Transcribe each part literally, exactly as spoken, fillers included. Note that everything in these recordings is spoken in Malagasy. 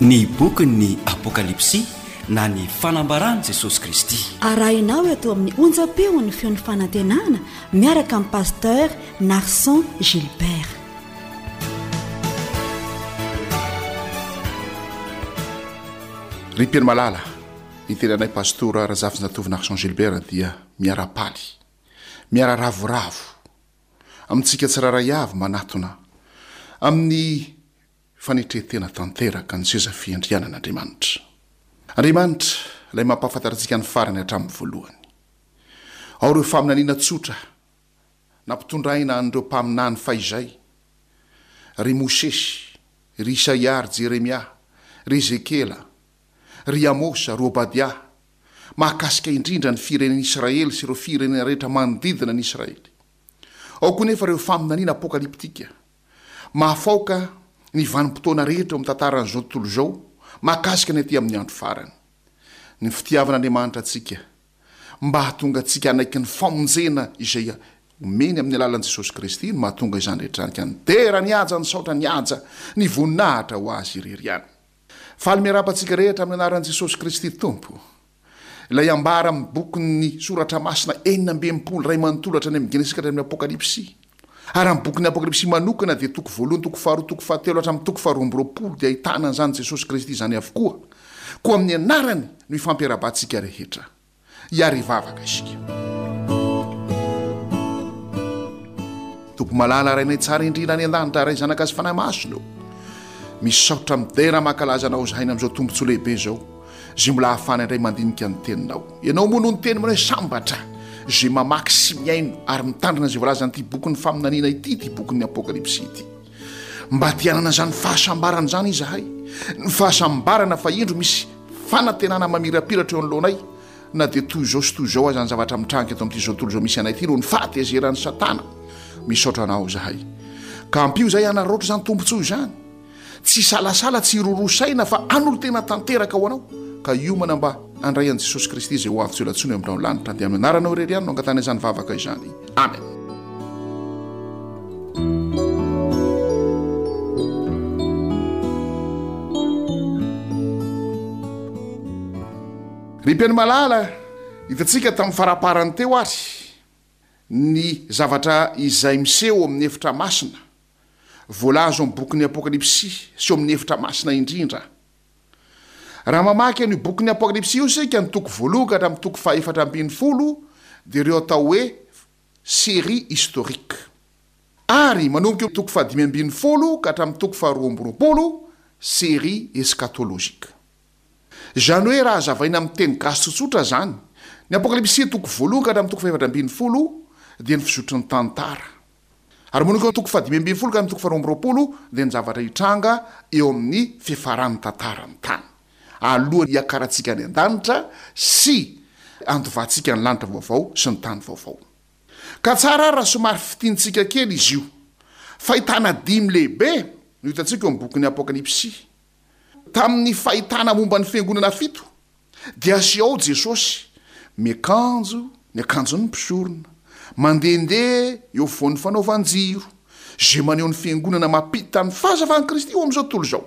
Ny bokin'ny Apokalypsy na ny fanambaran'i Jesosy Kristy. Arahinao eto amin'ny onjam-peon'ny feon'ny fanantenana miaraka amin'ny Pasteur Narson Gilbert. Ry mpihaino malala, ny tenanay Pastora Razafinjatovo Narson Gilbert dia miara-paly, miara-ravoravo amintsika tsirairay avy manatona amin'ny fanetren-tena tanteraka ny seza fiandrianan'Andriamanitra. Andriamanitra, ilay mampahafantatra antsika ny farany hatramin'ny voalohany. Ao ireo faminaniana tsotra nampitondraina an'ireo mpaminany fahizay, ry Mosesy, ry Isaia, ry Jeremia, ry Ezekiela, ry Amosa, ry Obadia, mahakasika indrindra ny firenen'Israely sy ireo firenena rehetra manodidina an'i Israely. Ao koa nefa ireo faminaniana apokalyptika, mahafaoka ny vanim-potoana rehetra eo amin'ny tantaran'izao tontolo izao mahakasika ny aty amin'ny andro farany. Ny fitiavan'Andriamanitra antsika mba hahatonga antsika hanaiky ny famonjena izay omeny amin'ny alalan'i Jesosy Kristy no mahatonga izany rehetra izany ka nidera ny haja, nisaotra ny haja, ny voninahitra ho Azy irery ihany. Faly miarahaba antsika rehetra amin'ny anaran'i Jesosy Kristy Tompo. Ilay ambara amin'ny bokin'ny Soratra Masina enina amby enimpolo iray manontolo hatrany amin'ny Genesisy ka hatramin'ny Apokalypsy. Ary amin'ny bokin'ny Apokalypsy manokana dia toko voalohany, toko faharoa, toko fahatelo hatramin'ny toko faharoa amby roapolo dia ahitana an'izany Jesosy Kristy izany avokoa. Koa amin'ny anarany no ifampiarahabantsika rehetra. Hiary hivavaka isika. Tompo malala, Rainay tsara indrindra any an-danitra, Ray Zanaka sy Fanahy Masina ô. Misaotra midera mankalaza Anao izahay ny amin'izao tombontsoa lehibe izao, izay mbola ahafahana indray mandinika ny Teninao. Ianao moa no niteny manao hoe sambatra izay mamaky sy mihaino ary mitandrina izay voalazan'ity bokin'ny faminaniana ity, ity bokin'ny Apokalypsy ity. Mba te hanana izany fahasambarana izany izahay, ny fahasambarana fa indro misy fanantenana mamirapiratra eo anoloanay, na dia toy izao sy toy izao aza ny zavatra mitranga eto amin'ity izao tontolo izao misy anay ity noho ny fahatezeran'i Satana. Misaotra Anao izahay. Ka ampio izahay hanararaotra izany tombontsoa izany. Tsy hisalasala, tsy hiroroa saina fa hanolo-tena tanteraka ho Anao, ka hiomana mba handray an'i Jesosy Kristy izay ho avy tsy ho ela intsony eo amin'ny rahon'ny lanitra. Dia amin'ny anaranao irery ihany no angatahana izany vavaka izany. Amen. Ry mpihaino malala, hitantsika tamin'ny faraparany teo ary ny zavatra izay miseho ao amin'ny efitra masina, voalaza ao amin'ny bokin'ny Apokalypsy sy ao amin'ny efitra masina indrindra. Raha mamaky an'io bokin'ny Apokalypsy io isika, ny toko voalohany ka hatramin'ny toko fahefatra ambin'ny folo, dia ireo atao hoe série historique. Ary manomboka eo toko fahadimy ambin'ny folo ka hatramin'ny toko faharoa amby roapolo, série eschatologique. Izany hoe raha hazavaina amin'ny teny gasy tsotsotra izany, ny Apokalypsy toko voalohany ka hatramin'ny toko fahefatra ambin'ny folo dia ny fizotry ny tantara. Ary manomboka eo toko fahadimy ambin'ny folo ka hatramin'ny toko faharoa amby roapolo dia ny zavatra hitranga eo amin'ny fiafaran'ny tantaran'ny tany, alohan'ny hiakarantsika any an-danitra sy handovantsika ny lanitra vaovao sy ny tany vaovao. Ka tsara ary raha somary fintinintsika kely izy io. Fahitana dimy lehibe no hitantsika eo amin'ny bokin'ny Apokalypsy. Tamin'ny fahitana momba ny fiangonana fito, dia aseho ao Jesosy miakanjo ny akanjon'ny mpisorona, mandehandeha eo afovoan'ny fanaovan-jiro, izay maneho ny fiangonana mampita ny fahazavan'i Kristy eo amin'izao tontolo izao.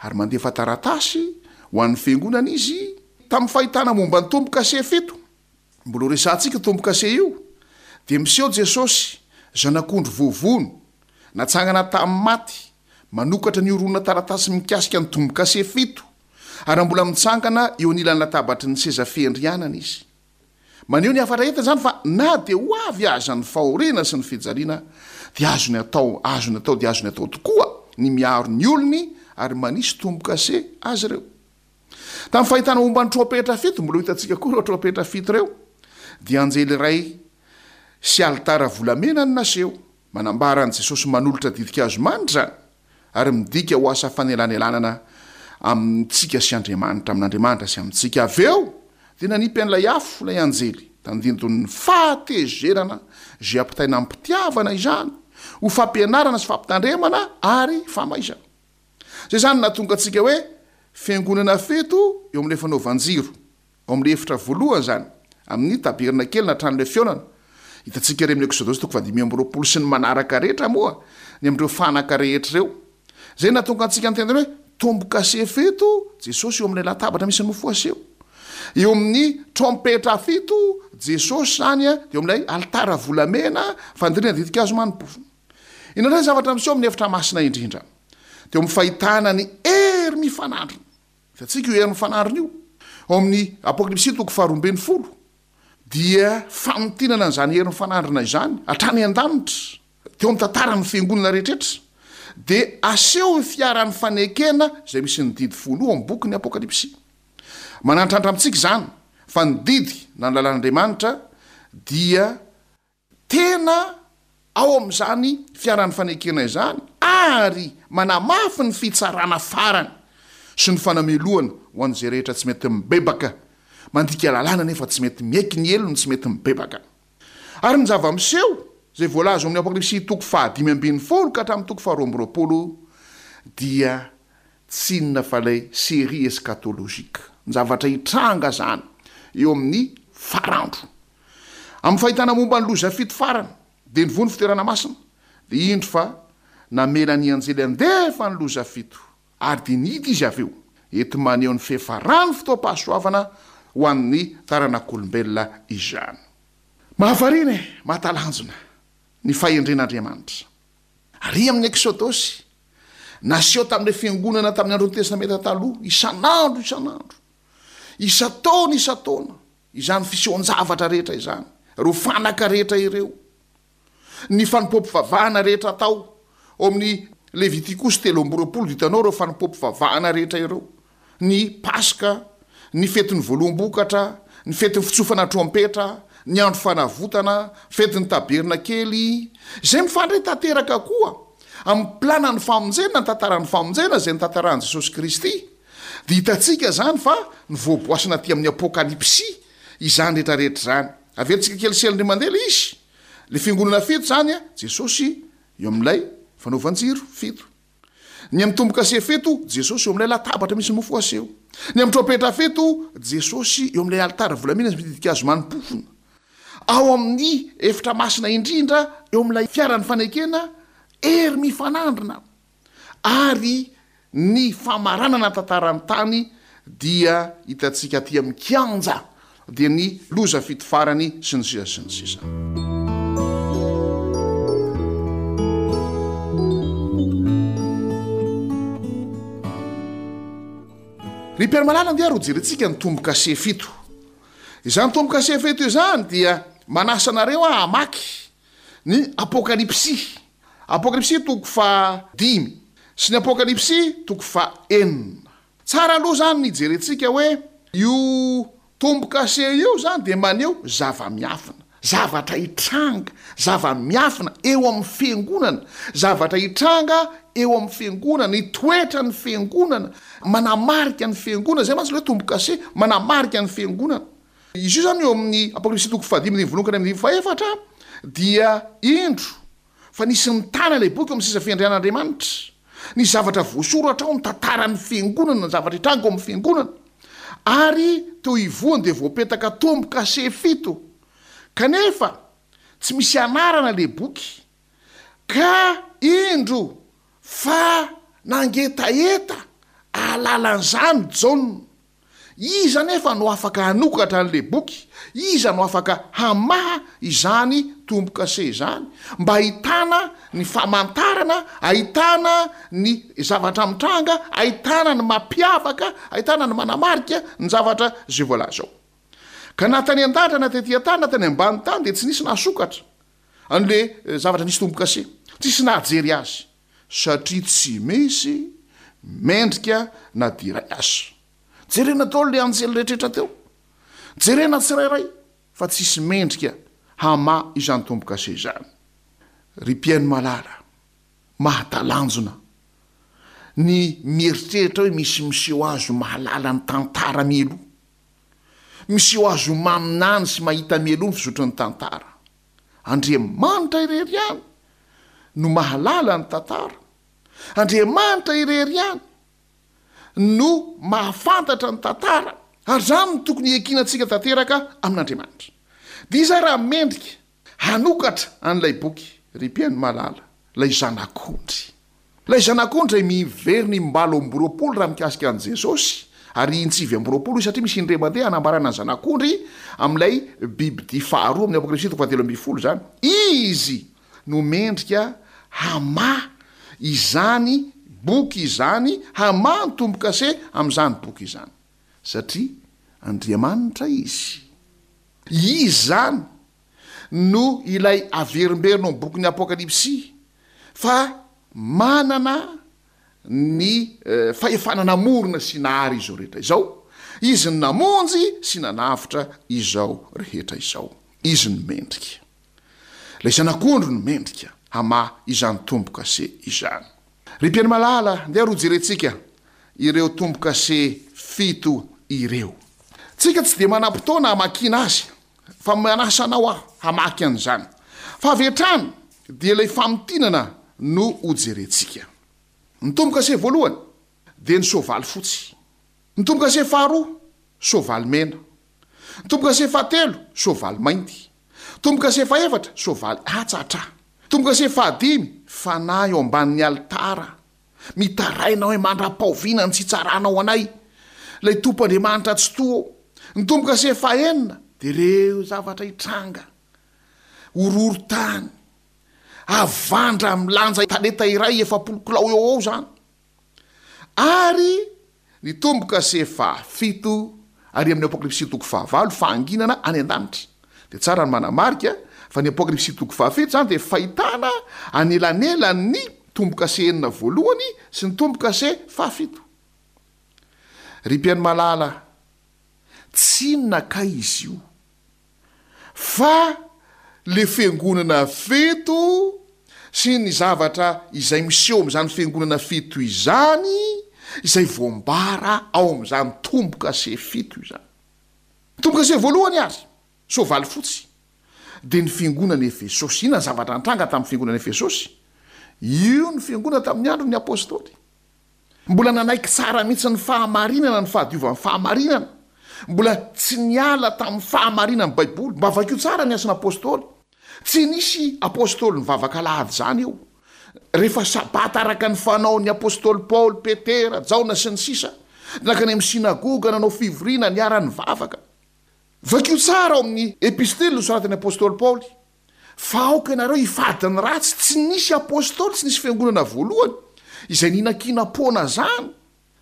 Ary mandefa taratasy ho an'ny fiangonana izy tamin'ny fahitana momba ny tombo-kase fito. Mbola ho resahantsika io tombo-kase io, dia miseho Jesosy, Zanak'ondry voavono, natsangana tamin'ny maty, manokatra ny horonan-taratasy mikasika ny tombo-kase fito, ary raha mbola mitsangana eo anilan'ny latabatry ny seza fiandrianana Izy. Maneho ny hafatra entiny izany fa na dia ho avy aza ny fahoriana sy ny fijaliana, dia azony atao, azony atao dia azony atao tokoa ny miaro ny olony ary manisy tombo-kase azy ireo. Tamin'ny fahitana momba ny trompetra fito, mbola ho hitantsika koa ireo trompetra fito ireo, dia anjely iray sy alitara volamena no naseho. Manambara an'i Jesosy manolotra ditin-kazo manitra izany, ary midika ho asa fanelanelanana amintsika sy Andriamanitra, amin'Andriamanitra sy amintsika. Avy eo, dia nanipy an'ilay afo ilay anjely, tandindon'ny fahatezerana izay ampitaina amim-pitiavana izany, ho fampianarana sy fampitandremana ary famaizana. Izay izany no nahatonga antsika hoe fiangonana fito eo amin'ilay fanaovan-jiro, ao amin'ilay efitra voalohany izany, amin'ny tabernakely na tranolay fihaonana. Hitantsika ery amin'ny Eksodosy toko fahadimy amby roapolo sy ny manaraka rehetra moa ny amin'ireo fanaka rehetra ireo. Izay no nahatonga antsika niteny hoe tombo-kase fito, Jesosy eo amin'ilay latabatra misy ny mofo aseho. Eo amin'ny trompetra fito, Jesosy izany dia eo amin'ilay alitara volamena fandirina ditin-kazo mani-pofona. Inona indray ny zavatra miseho amin'ny efitra masina indrindra? Dia eo amin'ny fahitana ny hery mifanandrina. Hitantsika io hery mifanandrina io. Ao amin'ny Apokalypsy toko faharoa ambin'ny folo dia famintinana an'izany hery mifanandrina izany hatrany an-danitra. Teo amin'ny tantaran'ny fiangonana rehetra dia aseho ny fiaran'ny fanekena izay misy ny didy folo ao amin'ny bokin'ny Apokalypsy. Manantrantr amintsika izany fa ny didy na ny lalàn'Andriamanitra dia tena ao amin'izany fiaran'ny fanekena izany ary manamafy ny fitsarana farany sy ny fanamelohana ho an'izay rehetra tsy mety mibebaka, mandika lalàna nefa tsy mety miaiky ny helony, tsy mety mibebaka. Ary ny zava-miseho izay voalaza ao amin'ny Apokalypsy toko fahadimy ambin'ny folo ka hatramin'ny toko faharoa amby roapolo dia tsy inona fa ilay série eschatologique, ny zavatra hitranga izany eo amin'ny farandro. Amin'ny fahitana momba ny loza fito farany, dia nivoha ny fitoerana masina, dia indro fa namela ny anjely handefa ny loza fito, ary dia nihidy izy avy eo, enti-maneho ny fiafaran'ny fotoam-pahasoavana ho an'ny taranak'olombelona izany. Mahavariana e, mahatalanjona ny fahendren'Andriamanitra. Ary amin'ny Eksodosy, naseho tamin'ilay fiangonana tamin'ny andron'ny Testamenta Taloha, isan'andro isan'andro, isan-taona isan-taona, izany fisehoan-javatra rehetra izany, ireo fanaka rehetra ireo, ny fanompoam-pivavahana rehetra atao, ao amin'ny Levitikosy telo amby roapolo dia hitanao ireo fanompoam-pivavahana rehetra ireo, ny Paska, ny fetin'ny voaloham-bokatra, ny fetin'ny fitsofana trompetra, ny andro fanavotana, fetin'ny tabernakely, izay mifandray tanteraka koa amin'ny planan'ny famonjena, ny tantaran'ny famonjena izay notantarahin'i Jesosy Kristy. Dia hitantsika izany fa nivoaboasana aty amin'ny Apokalypsy izany rehetra rehetra izany. Averintsika kely sel-ndry mandeha ilay izy. Ilay fiangonana fito izany, Jesosy eo amin'ilay fanaovan-jiro fito. Ny amin'ny tombo-kase fito, Jesosy eo amin'ilay latabatra misy mofo aseho. Ny amin'ny trompetra fito, Jesosy eo amin'ilay alitara volamena sy misy ditin-kazo mani-pofona. Ao amin'ny efitra masina indrindra, eo amin'ilay fiaran'ny fanekena, hery mifanandrina. Ary ny famaranana ny tantaran'ny tany dia hitantsika aty amin'ny kianja, dia ny loza fito farany sy ny sisa sy ny sisa. Ry mpiara-malala, andeha ary hojerentsika ny tombo-kase fito. Izany tombo-kase fito izany dia manasa anareo aho hamaky ny Apokalypsy, Apokalypsy toko faha dimy sy ny Apokalypsy toko faha enina. Tsara aloha izany ny hijerentsika hoe io tombo-kase io izany dia maneho zava-miafina, zavatra hitranga, zava-miafina eo amin'ny fiangonana, zavatra hitranga eo amin'ny fiangonana, ny toetran'ny fiangonana, manamarika ny fiangonana, izay mantsy ilay hoe tombo-kase, manamarika ny fiangonana. Izy io izany eo amin'ny Apokalypsy toko fahadimy andininy voalohany ka hatramin'ny andininy fahefatra dia indro fa nisy nitana ilay boky eo amin'ny seza fiandrianan'Andriamanitra. Ny zavatra voasoratra ao, ny tantaran'ny fiangonana, ny zavatra hitranga ao amin'ny fiangonana. Ary teo ivohony dia voapetaka tombo-kase fito. Kanefa tsy misy anarana ilay boky. Ka indro fa nangetaheta ahalala an'izany Jaona. Iza anefa no afaka hanokatra an'ilay boky? Iza no afaka hamaha izany tombo-kase izany mba hahitana ny famantarana, hahitana ny zavatra mitranga, hahitana ny mampiavaka, hahitana ny manamarika ny zavatra izay voalaza ao? Ka na tany an-danitra na tety an-tany na tany ambany tany dia tsy nisy nahasokatra an'ilay zavatra nisy tombo-kase, tsisy nahajery azy. Satria tsy misy mendrika na dia iray aza. Jerena daholo ilay anjely rehetrarehetra teo. Jerena tsirairay fa tsisy mendrika hamaha izany tombo-kase izany. Ry mpihaino malala, mahatalanjona ny mieritreritra hoe misy miseho azy ho mahalala ny tantara mialoha. Miseho azy ho maminany sy mahita mialoha ny fizotry ny tantara. Andriamanitra irery ihany no mahalala ny tantara. Andriamanitra irery ihany no mahafantatra ny tantara, ary izany no tokony hiankinantsika tanteraka amin'Andriamanitra. Dia iza raha mendrika hanokatra an'ilay boky, ry mpihaino malala, ilay Zanak'ondry? Ilay Zanak'ondry izay miverina im-balo amby roapolo raha mikasika an'i Jesosy, ary in-tsivy amby roapolo izy satria misy indray mandeha hanambarana ny Zanak'ondry amin'ilay bibidia faharoa amin'ny Apokalypsy toko fahatelo ambin'ny folo izany. Izy no mendrika hamaha izany boky izany, hamaha ny tombo-kase amin'izany boky izany. Satria Andriamanitra Izy. Izy izany no ilay averimberina ao amin'ny bokin'ny Apokalypsy fa manana ny fahefana namorona sy nahary izao rehetra izao. Izy no namonjy sy nanavotra izao rehetra izao. Izy no mendrika. Ilay Zanak'ondry no mendrika hamaha izany tombo-kase izany. Ry mpihaino malala, ndeha ro jerentsika ireo tombo-kase fito ireo. Tsika tsy dia manam-potoana hamakiana azy, fa manasa anao aho hamaky an'izany. Fa avy hatrany dia ilay famintinana no hojerentsika. Ny tombo-kase voalohany dia ny soavaly fotsy. Ny tombo-kase faharoa, soavaly mena. Ny tombo-kase fahatelo, soavaly mainty. Tombo-kase fahefatra, soavaly hatsatra. Tombo-kase fahadimy, fanahy eo ambanin'ny alitara. Mitaraina hoe mandra-pahoviana ny tsy hitsaranao anay, ilay Tompo Andriamanitra Tsitoha ô. Ny tombo-kase fahenina dia ireo zavatra hitranga, horohorontany, havandra milanja talenta iray efapolo kilao eo ho eo izany. Ary ny tombo-kase fahafito, ary amin'ny Apokalypsy toko fahavalo, fahanginana any an-danitra. Dia tsara ny manamarika fa ny Apokalypsy toko fahafito izany dia fahitana anelanelan'ny tombo-kase enina voalohany sy ny tombo-kase fahafito. Ry mpihaino malala, tsy inona kay izy io fa le fiangonana fito sy ny zavatra izay miseho amin'izany fiangonana fito izany izay voambara ao amin'izany tombo-kase fito izany. Tombo-kase voalohany ary, soavaly fotsy, dia ny fiangonana Efesosy. Inona ny zavatra nitranga tamin'ny fiangonana Efesosy? Io ny fiangonana tamin'ny andron'ny Apostoly. Mbola nanaiky tsara mihitsy ny fahamarinana ny fahadiovan'ny fahamarinana. Mbola tsy niala tamin'ny fahamarinan'ny Baiboly. Mba vakio tsara ny Asan'ny Apostoly. Tsy nisy Apostoly nivavaka alahady izany eo. Rehefa Sabata araka ny fanaon'ny Apostoly Paoly, Petera, Jaona, sy ny sisa, nankany amin'ny synagoga, nanao fivoriana, niara-nivavaka. Vakio tsara ao amin'ny Epistily nosoratan'ny Apostoly Paoly. Fa aoka ianareo hifady ny ratsy, tsy nisy apostoly, tsy nisy fiangonana voalohany izay nihinankinam-poana izany,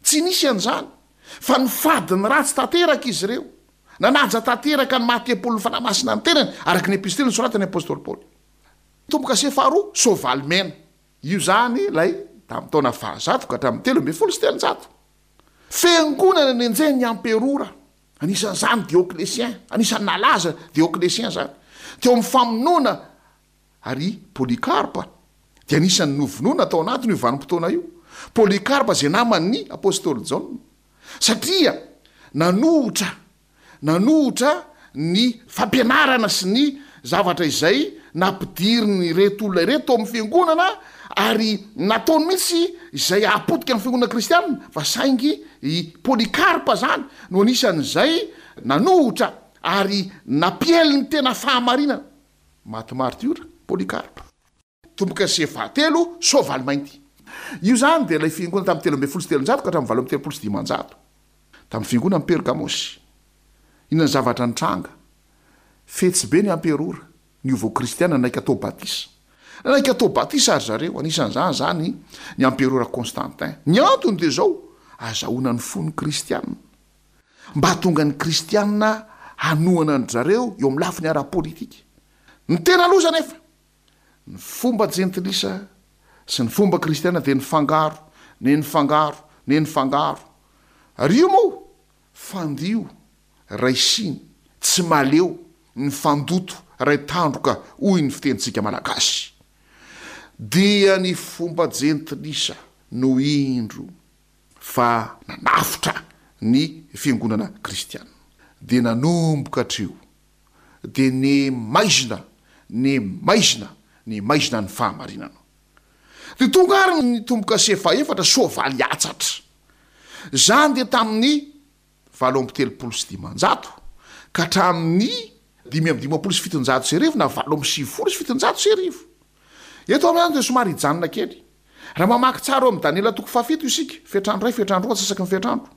tsy nisy an'izany, fa nifady ny ratsy tanteraka izy ireo, nanaja tanteraka ny maha tempolin'ny Fanahy Masina ny tenany, araka ny epistily nosoratan'ny apostoly Paoly. Tombo-kase faharoa, soavaly mena. Io izany ilay tamin'ny taona fahazato ka hatramin'ny telo ambin'ny folo sy telonjato. Fiangonana nenjehin'ny amperora. Anisan'izany Dioclétien, anisan'ny nalaza Dioclétien izany, teo amin'ny famonoana ary Polycarpe dia anisan'ny novonoina tao anatin'io vanim-potoana io. Polycarpe izay naman'ny apostoly Jaona, satria nanohitra nanohitra ny fampianarana sy ny zavatra izay nampidirin'ireto olona ireto tao amin'ny fiangonana ary nataony mihitsy izay hahapotika ny fiangonana kristiana, fa saingy i Polycarpe izany no anisan'izay nanohitra ary nampiely ny tena fahamarinana. Maty martiora Polycarpe. Tombo-kase fahatelo, soavaly mainty. Io izany dia ilay fiangonana tamin'ny telo ambin'ny folo sy telonjato ka hatramin'ny valo amby telopolo sy dimanjato, tamin'ny fiangonan'i Pergamosy. Inona ny zavatra nitranga? Fetsy be ny amperora, niova ho kristiana, nanaiky hatao batisa. Nanaiky hatao batisa ry zareo, anisan'izany izany ny amperora Constantin. Ny antony dia izao, azahoana ny fon'ny kristiana. Mba hahatonga ny kristiana hanohana an-dry zareo eo amin'ny lafiny ara-politika. Ny tena loza anefa, ny fomba jentilisa sy ny fomba kristiana dia nifangaro, ne nifangaro, ne nifangaro. Ary io moa, fandio, raisiny, tsy maleo, nifandoto, ray tandroka hoy ny fitenintsika malagasy. Dia ny fomba jentilisa no indro fa nanafotra ny fiangonana kristiana. Dia nanomboka hatreo dia ne maizina, ne maizina, ne maizina ny fahamarinana. Dia tonga ary ny tombo-kase fahefatra, soavaly hatsatra. Izany dia tamin'ny valo amby telopolo sy dimanjato ka hatramin'ny dimy amby dimampolo sy fitonjato sy arivo na valo amby sivifolo sy fitonjato sy arivo. Eto amin'izany dia somary hijanona kely. Raha mamaky tsara ao amin'ny Daniela toko fahafito isika, fetrandro iray, fetrandro roa, antsasaky ny fetrandro,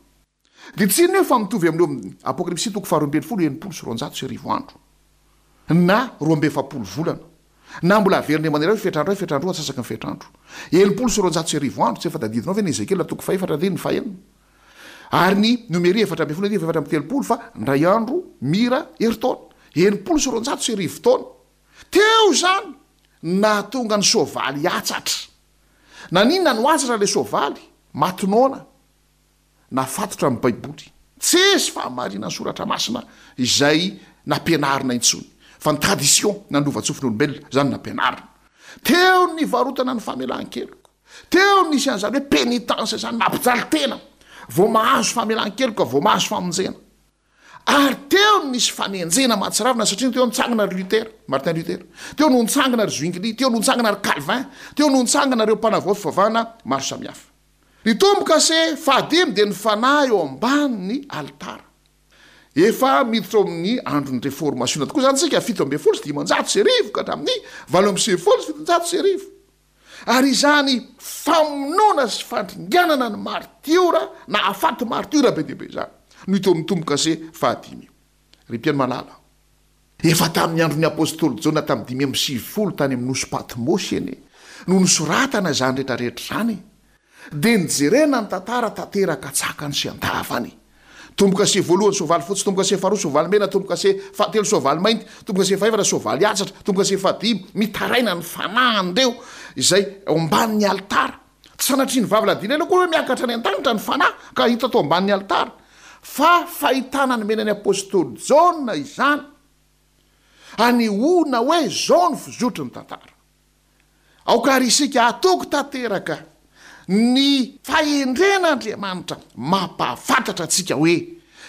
dia tsy inona io fa mitovy amin'io amin'ny Apokalypsy toko faharoa ambin'ny folo, enimpolo sy roanjato sy arivo andro, na roa amby efapolo volana, na mbola averina eo manera hoe fetrandro iray, fetrandro roa, antsasaky ny fetrandro. Enimpolo sy roanjato sy arivo andro, tsy efa tadidinao ve ny Ezekiela toko fahefatra andininy fahenina? Ary ny Nomery efatra ambin'ny folo andininy fahefatra amby telopolo fa indray andro mira herintaona, enimpolo sy roanjato sy arivo taona. Teo izany nahatonga ny soavaly hiatsatra. Naninona no atsatra ilay soavaly? Maty noana. Nafatotra ny Baiboly. Tsisy fahamarinan'ny Soratra Masina izay nampianarina intsony, fa ny tradition na ny lovantsofin' olombelona izany no nampianarina. Teo ny nivarotana ny famelan-keloka. Teo no nisy an'izany hoe pénitence izany, mampijaly tena vao mahazo famelan-keloka, vao mahazo famonjena. Ary teo no nisy fanenjehana mahatsiravina satria teo nitsangana ry Luther, Martin Luther, teo no nitsangana ry Zwingli, teo no nitsangana ry Calvin, teo no nitsangana ireo mpanavao fivavahana maro samihafa. Ny tombo-kase fahadimy dia ny fanahy eo ambanin'ny alitara. Efa miditra ao amin'ny andron'ny Reformasiona tokoa izany isika, fito ambin'ny folo sy dimanjato sy arivo ka hatramin'ny valo amby sivifolo sy fitonjato sy arivo. Ary izany famonoana sy fandringanana ny martiora nahafaty martiora be dia be izany no hita ao amin'ny tombo-kase fahadimy io. Ry mpihaino malala, efa tamin'ny andron'ny apostoly Jaona tamin'ny dimy amby sivifolo tany amin'ny nosy Patmosy anie no nosoratana izany rehetra rehetra izany e! Dia nijerena ny tantara tanteraka an-tsakany sy an-davany. Tombo-kase voalohany soavaly fotsy, tombo-kase faharoa soavaly mena, tombo-kase fahatelo soavaly mainty, tombo-kase fahefatra soavaly atsatra, tombo-kase fahadimy mitaraina ny fanahin'ireo izay ao ambanin'ny alitara. Tsy sanatria ny vavy ladila ela akory hoe miakatra any an-danitra ny fanahy ka hita tao ambanin'ny alitara, fa fahitana nomena ny apostoly Jaona izany, anehoana hoe izao ny fizotry ny tantara. Aoka àry isika hatoky tanteraka ny fahendren'Andriamanitra mampahafantatra antsika hoe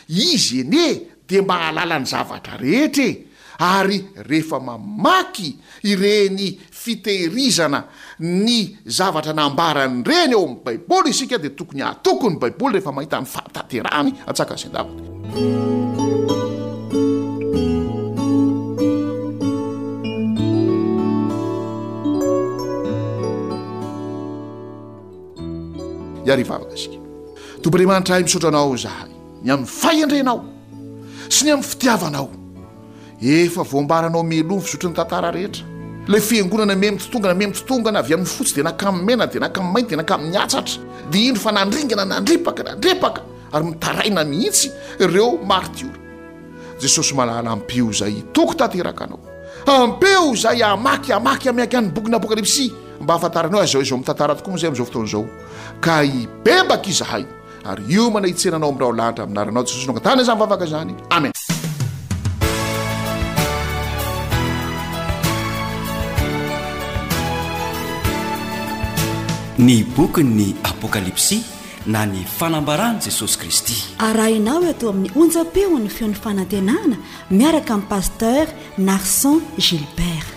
Izy anie dia mahalala ny zavatra rehetra e! Ary rehefa mamaky ireny fitehirizana ny zavatra nambarany ireny ao amin'ny Baiboly isika dia tokony hatoky ny Baiboly rehefa mahita ny fahatanterahany antsakany sy andavany. Hiary hivavaka isika. Tompo Andriamanitra ahy, misaotra Anao izahay ny amin'ny fahendrenao sy ny amin'ny fitiavanao. Efa voambaranao mialoha ny fizotry ny tantara rehetra. Ilay fiangonana miha mitotongana, miha mitotongana avy amin'ny fotsy dia nankamy mena, dia nankamy mainty, dia nankamy ny dia indro fa nandringana, nandripaka, nandripaka ary mitaraina mihitsy ireo martiora. Jesosy malala, ampio izay hitoky tanteraka Anao. Ampio izay hamaky, hamaky, hamaky ny bokin'ny Apokalypsy mba hahafantaranao azy izao izao mitantara tokoa moa izay amin'izao fotoana izao. Ka hibebaka izahay ary hiomana hitsena Anao amin'ny raholanitra amin'ny anaranao Jesosy no angatahana izany vavaka izany. Amen. Ny bokin'ny Apokalypsy na ny fanambaran'i Jesosy Kristy. Arahinao eto amin'ny onjam-peon'ny feon'ny fanantenana miaraka amin'ny Pasteur Narson Gilbert.